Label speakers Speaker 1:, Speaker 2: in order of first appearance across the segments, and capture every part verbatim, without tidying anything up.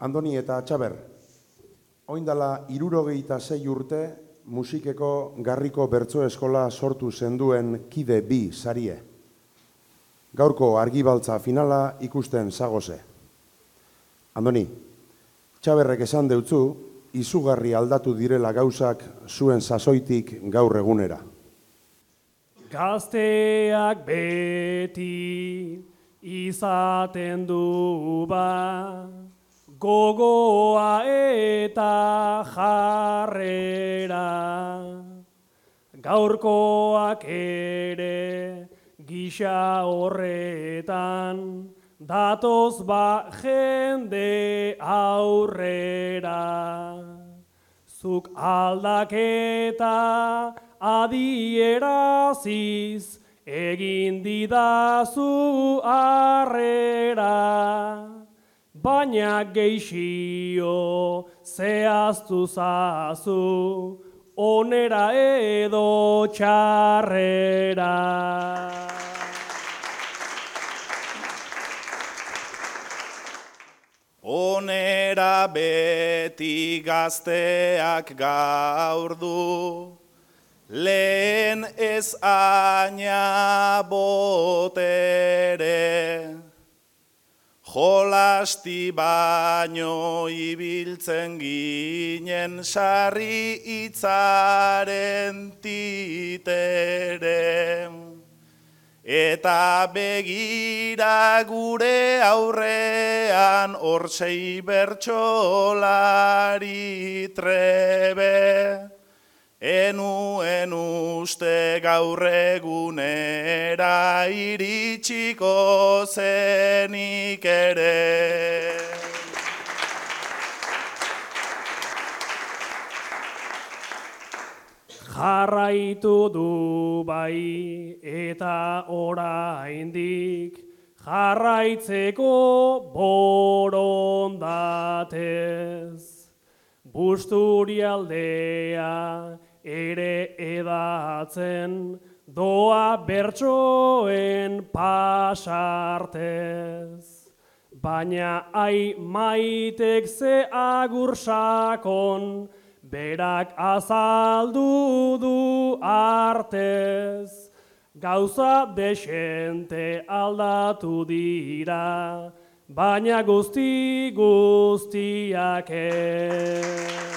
Speaker 1: Andoni eta Txaber, oindala hirurogeita sei urte musikeko Garriko Bertso Eskola sortu zenduen kide bi sarie. Gaurko argibaltza finala ikusten zagoze. Andoni, Txaberrek esan deutzu, izugarri aldatu direla gauzak zuen sasoitik gaur egunera.
Speaker 2: Gazteak beti izaten du ba, gogoa eta jarrera. Gaurkoak ere gisa horretan, datoz ba jende aurrera. Zuk aldaketa adieraziz, egin didazu harrera. Baina geixio zehaztu zazu, onera edo txarrera.
Speaker 3: Onera beti gazteak gaur du, lehen ez aina botere. Jolasti baino ibiltzen ginen sarri hitzaren titere. Eta begira gure aurrean hortzei bertsolari trebe. Enuen uste gaur egunera iritsiko zenik ere.
Speaker 2: Jarraitu du bai eta oraindik, jarraitzeko borondatez. Busturialdea ere edatzen, doa bertsoen pasartez. Baina ai maitek ze agur sakon, berak azaldu du artez. Gauza desente aldatu dira, baina guzti guztiak ez.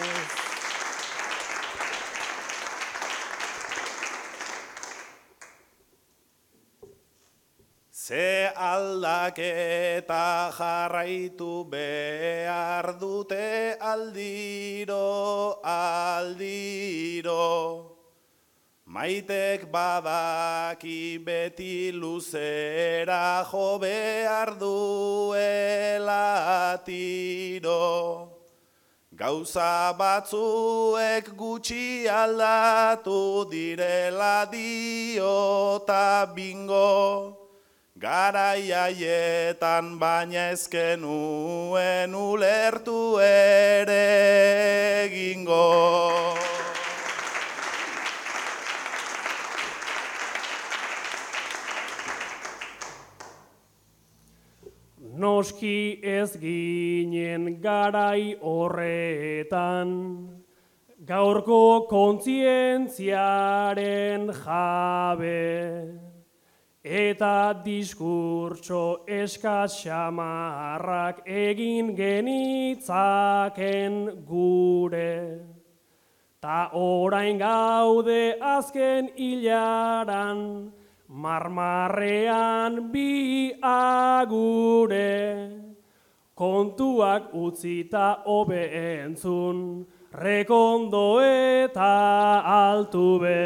Speaker 3: Ze aldaketa jarraitu behar dute aldiro, aldiro. Maitek badaki beti luzera jo behar duela tiro. Gauza batzuek gutxi aldatu direla diota bingo. Garai haietan baina ezkenuen ulertu ere egingo.
Speaker 2: Noski ez ginen garai horretan, gaurko kontzientziaren jabe. Eta diskurtso eskas xamarrak egin genitzaken gure. Ta orain gaude azken hilaran, marmarrean bi agure. Kontuak utzita hobe entzun, Rekondo eta Altuve.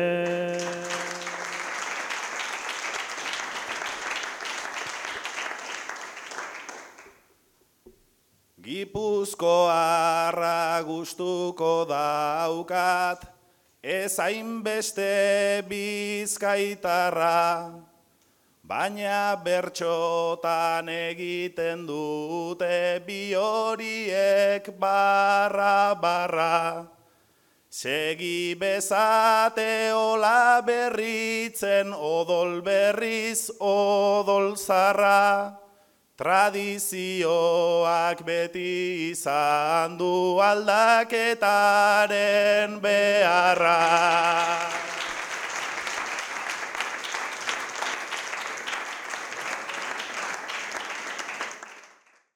Speaker 3: Gipuzkoarra gustuko daukat, ez hainbeste bizkaitarra, baina bertxotan egiten dute bi horiek barra barra. Segi bezate ola berritzen odol berriz odol zarra. Tradizioak beti izan du aldaketaren beharra.